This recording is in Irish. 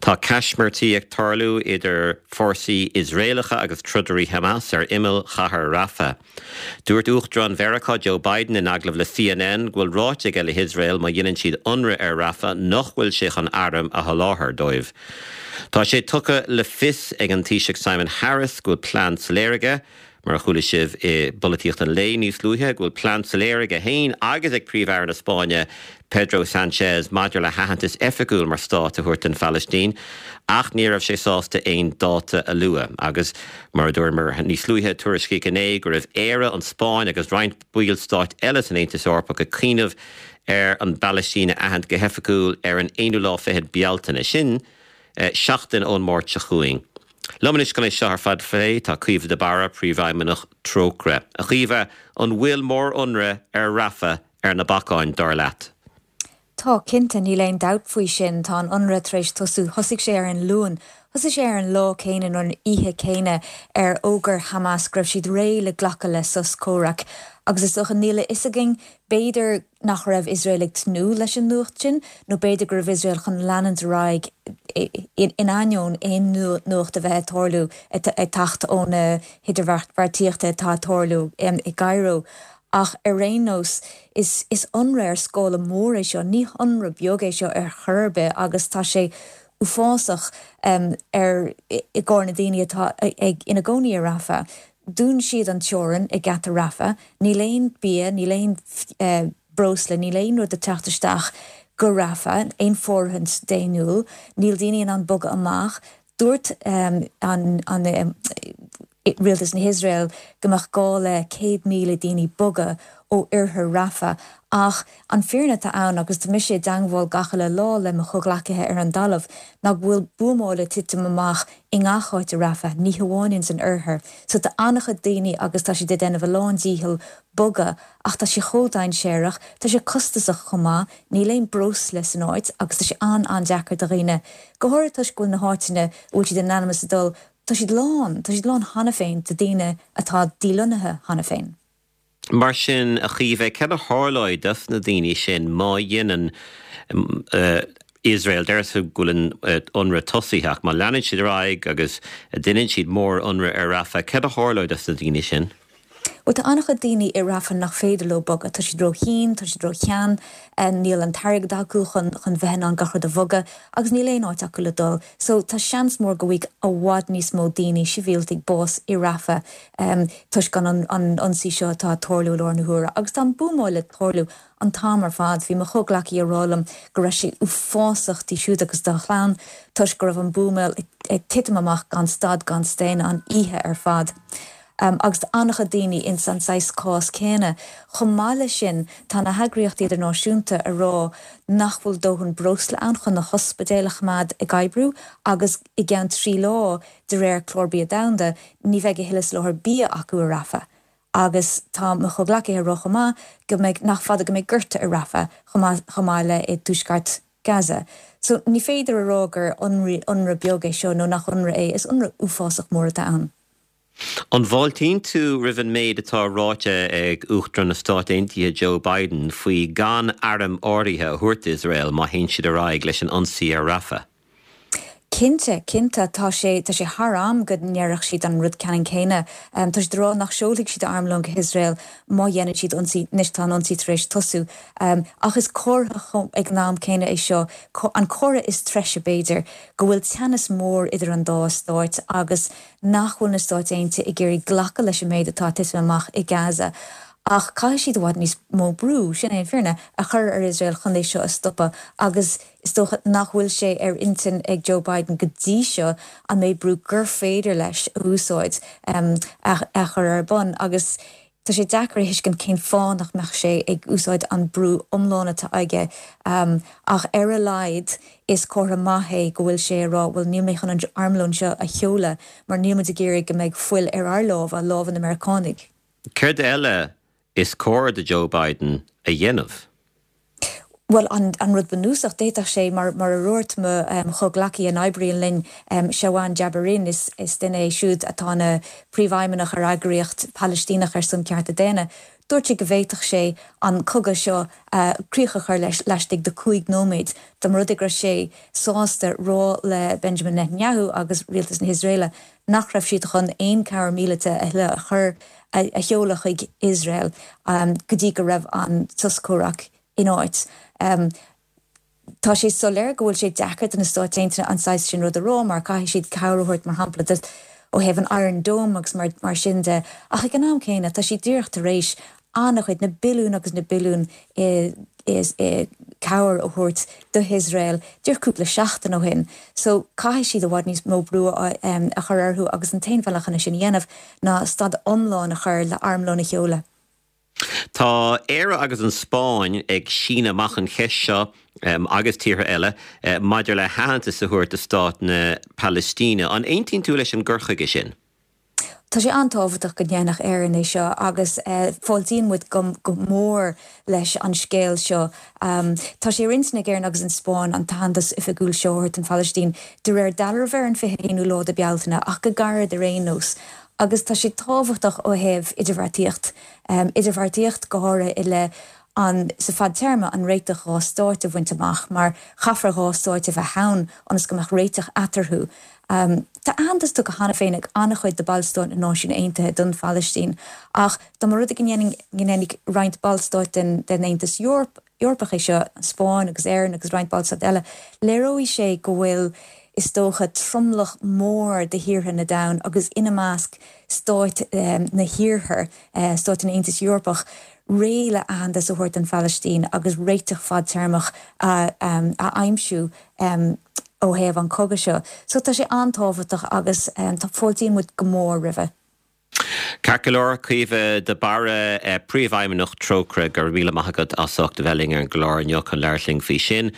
Tá caismirtí ag tarlú idir fórsaí Iosraelacha agus trodairí Hamas ar imeall chathair Rafah. Dúirt Uachtarán Mheiriceá Joe Biden in agallamh le CNN go bhfuil ráite aige le hIosrael má dhéanann siad ionradh ar Rafah nach bhfuil sé chun airm a sholáthar dóibh. Tá sé tugtha le fios ag an Taoiseach Simon Harris go bhfuil plean soiléir aige, Mar a chuala sibh i bPolaitíocht an Lae níos luaithe, go bhfuil plean soiléir aige féin agus ag Príomh-Aire na Spáinne, Pedro Sanchez, maidir le haitheantas oifigiúil mar stát a thabhairt don Phalaistín, ach ní raibh sé sásta aon dáta a lua. Agus, mar a dúramar níos luaithe, tuairiscíodh inné go raibh Éire, an Spáinn agus roinnt ballstáit eile san Aontas Eorpach ag cuimhneamh ar an bPalaistín a aithint go hoifigiúil ar an aonú lá fichead Bealtaine. Sin seachtain ón Máirt seo chugainn. Liom anois chun é seo ar fad a phlé tá Caoimhe de Barra, Príomhfheidhmeannach Trócaire. A Chaoimhe, an bhfuil mórionradh ar Rafah ar na bacáin, dar leat? Tá, cinnte, níl aon dabht faoi sin. Tá an ionradh tar éis tosú. Thosaigh sé ar an Luan. Thosaigh sé ar an lá céanna nó an oíche céanna ar fhógair Hamas go raibh siad réidh le glacadh le sos comhraic. Agus is dócha, níl a fhios againn, b'fhéidir, nach raibh Iosrael ag tnúth leis an nuacht sin, nó b'fhéidir go raibh Iosrael chun leanúint ar aghaidh in ainneoin aon nuacht a bheith ag tarlú, ag teacht ó na hidirbheartaíochta atá ag tarlú i gCairo. Ach ar aon nós, is ionradh ar scála mór é seo, ní hionradh beag é seo ar chor ar bith agus tá sé uafásach ar i gcomhair na daoine atá ag ina gcónaí i Rafah. Dhún siad an teorainn i ngeata Rafah. Níl aon bia, níl aon breosla, níl aon rud ag teacht isteach go Rafah, aon fóirithint daonnúil. Níl daoine in ann bogadh amach. Dúirt an rialtas na hIosrael go mbeadh gá le 100,000 daoine bogadh ó oirthear Rafah ach an fírinne atá ann, agus tá mise i dteangmháil gach uile lá le mo chomhghleacaithe ar an dtalamh, ná go bhfuil buamáil ag titim amach i ngach áit i Rafah, ní hamháin ins an oirthear. So tá an-chuid daoine agus tá siad ag déanamh a lán dícheall bogadh ach tá sé chomh dainséarach, tá sé costasach chomh maith, níl aon breosla san áit agus tá sé an-an-deacair do dhaoine, go háirithe toisc go bhfuil na háiteanna a bhfuil siad in ainm is a dul, tá siad lán, tá siad lán cheana féin de daoine atá dílonnaithe cheana féin. Mar sin, a Chaoimhe, cad a tharlóidh dos na daoine sin má dhéanann Iosrael, deir tú go bhfuil an ionradh tosaithe, ach má leanann siad ar aghaidh agus déanann siad mór-ionradh ar Rafah, cad a tharlóidh dos na daoine sin? Bhuel, tá an-chuid daoine i Rafah nach féidir leo bogadh. Tá siad ró-thinn, tá siad ró-shean, níl an t-airgead acu chun chun bheith in ann gach rud a bhogadh agus níl aon áit acu le dul. So, tá seans mór go bhfaighidh i bhfad níos mó daoine, sibhialtaigh, bás i Rafah. toisc an ionsaí seo atá ag tarlú i láthair na huaire. Agus tá an buamáil ag tarlú an t-am ar fad. Bhí mo chomhghleacaí ag rá liom go raibh sé uafásach di siúd agus dá chlann toisc go raibh an buamáil ag titim amach gan stad gan staonadh an oíche ar fad. Agus tá an-chuid daoine ins an saghas cás céanna. Chomh maith leis sin, tá na heagraíochtaí idirnáisiúnta ag rá nach bhfuil dóthain breosla ann chun na hospidéil a choimeád ag oibriú agus i gceann 3 lá De réir Clár Bia Domhanda, ní bheidh a thuilleadh soláthar bia acu i Rafah. Agus tá mo chomhghleacaithe ag rá chomh maith go mbeidh, nach fada go mbeidh gorta i Rafah chomh maith, chomh maith le i dtuaisceart Gaza. So ní féidir a rá gur ionradh beag é seo nó nach ionradh é, is ionradh uafásach mór atá ann. An bhfáiltíonn tú roimh an méid atá ráite ag Uachtarán na Stát Aontaithe Joe Biden faoi gan airm áirithe a thabhairt d'Iosrael má théann siad ar aghaidh leis an ionsaí ar Rafah? Cinnte, cinnte, tá sé, tá sé thar am go ndéarfadh siad an rud ceannann céanna. Tá siad ag rá nach seolfaidh siad armlón go hIosrael má dhéanann siad ionsaí, anois tá an ionsaí tar éis tosú. Ach is comhartha ag an am céanna é seo, an comhartha is treise b'fhéidir, go bhfuil teannas mór idir an dá stáit agus nach bhfuil na Stáit Aontaithe ag iarraidh glacadh leis an méid atá ag titim amach i Gaza. Ach caithfidh siad i bhfad níos mó brú, sin é an fírinne, a chur ar Iosrael chun é seo a stopadh agus Is dócha nach bhfuil sé ar intinn ag Joe Biden go dtí seo an méid brú gur féidir leis a úsáid a chur ar bun agus tá sé deacair a thuiscint cén fáth nach mbeadh sé ag úsáid an brú iomlán atá aige ach ar a laghad is comhartha maith é go bhfuil sé ag rá bhuel níl mé chun an armlón seo a sheoladh mar níl muid ag iarraidh go mbeidh fuil ar ár lámha, lámha na Meiriceánaigh. Céard eile is cóir do Joe Biden a dhéanamh? Bhuel, an rud bunúsach, d'fhéadfadh sé, mar a dúirt mo chomhghleacaí a oibríonn linn, Shawan Jabarin, is duine é siúd atá ina phríomhfheidhmeannach ar eagraíocht Phalaistíneach ar son cearta daonna. Dúirt sé go bhféadfadh sé an cogadh seo críoch a chur leis laistigh de 5 nóiméad dá mba rud é go raibh sé sásta rá le Benjamin Netanyahu agus rialtas na hIosraeile nach raibh siad chun aon cabhair míleata a thuilleadh a chur a sheoladh chuig Iosrael go dtí go raibh an sos comhrac in áit. Tá sé soiléir go bhfuil sé deacair do na Stáit Aontaithe an saghas sin rud a rá mar caithfidh siad cabhair a thabhairt mar shampla do ó thaobh an Iron Dome agus mar mar sin de ach ag an am céanna tá siad díreach tar éis an-chuid, na billiúin agus na billiúin i i cabhair a thabhairt do hIosrael díreach cúpla seachtain ó shin. So caithfidh siad i bhfad níos mó brú a a chur orthu agus an t-aon bhealach chun é sin a dhéanamh ná stad iomlán a chur le armlón a sheoladh. Tá Éire agus an Spáinn ag síneadh amach an cheist seo, agus tíortha eile, maidir le haitheantas a thabhairt do stát na Palaistíne. An aontaíonn tú leis an gcur chuige sin? Tá sé an-tábhachtach go ndéanfadh Éirinn é seo agus fáiltíonn muid go mór leis an scéal seo. Tá sé ar intinn ag Éirinn agus an Spáinn an t-aitheantas oifigiúil seo a thabhairt don Phalaistín de réir dealraimh ar an 21ú lá de Bealtaine ach go gairid ar aon nós. Agus tá sé tábhachtach ó thaobh idirbheartaíocht, idirbheartaíocht go háirithe i leith an, sa fadtéarma, an réiteach dha stáit a bhaint amach, mar chaithfear dha stáit a bheith ann ionas go mbeadh réiteach eatarthu. Tá aitheantas tugtha cheana féin ag an-chuid de ballstáit na Náisiún Aontaithe don Phalaistín, ach dá mba rud é go ndéanfadh roinnt ballstáit den den Aontas Eorpach é seo, an Spáinn agus Éirinn agus roinnt ballstát eile, léireoidh sé go bhfuil, is dócha, tromlach mór de thíortha na domhan agus ina measc stáit na hiarthair, stáit an Aontais Eorpach, réidh le aitheantas a thabhairt don Phalaistín agus réiteach fadtéarmach a aimsiú ó thaobh an chogaidh seo. So tá sé an-tábhachtach agus tá fáiltíonn muid go mór roimhe. Ceart go leor, Caoimhe de Barra, Príomhfheidhmeannach Trócaire, go raibh míle maith agat as ucht a bheith linn ar an gclár inniu chun labhairt linn faoi sin.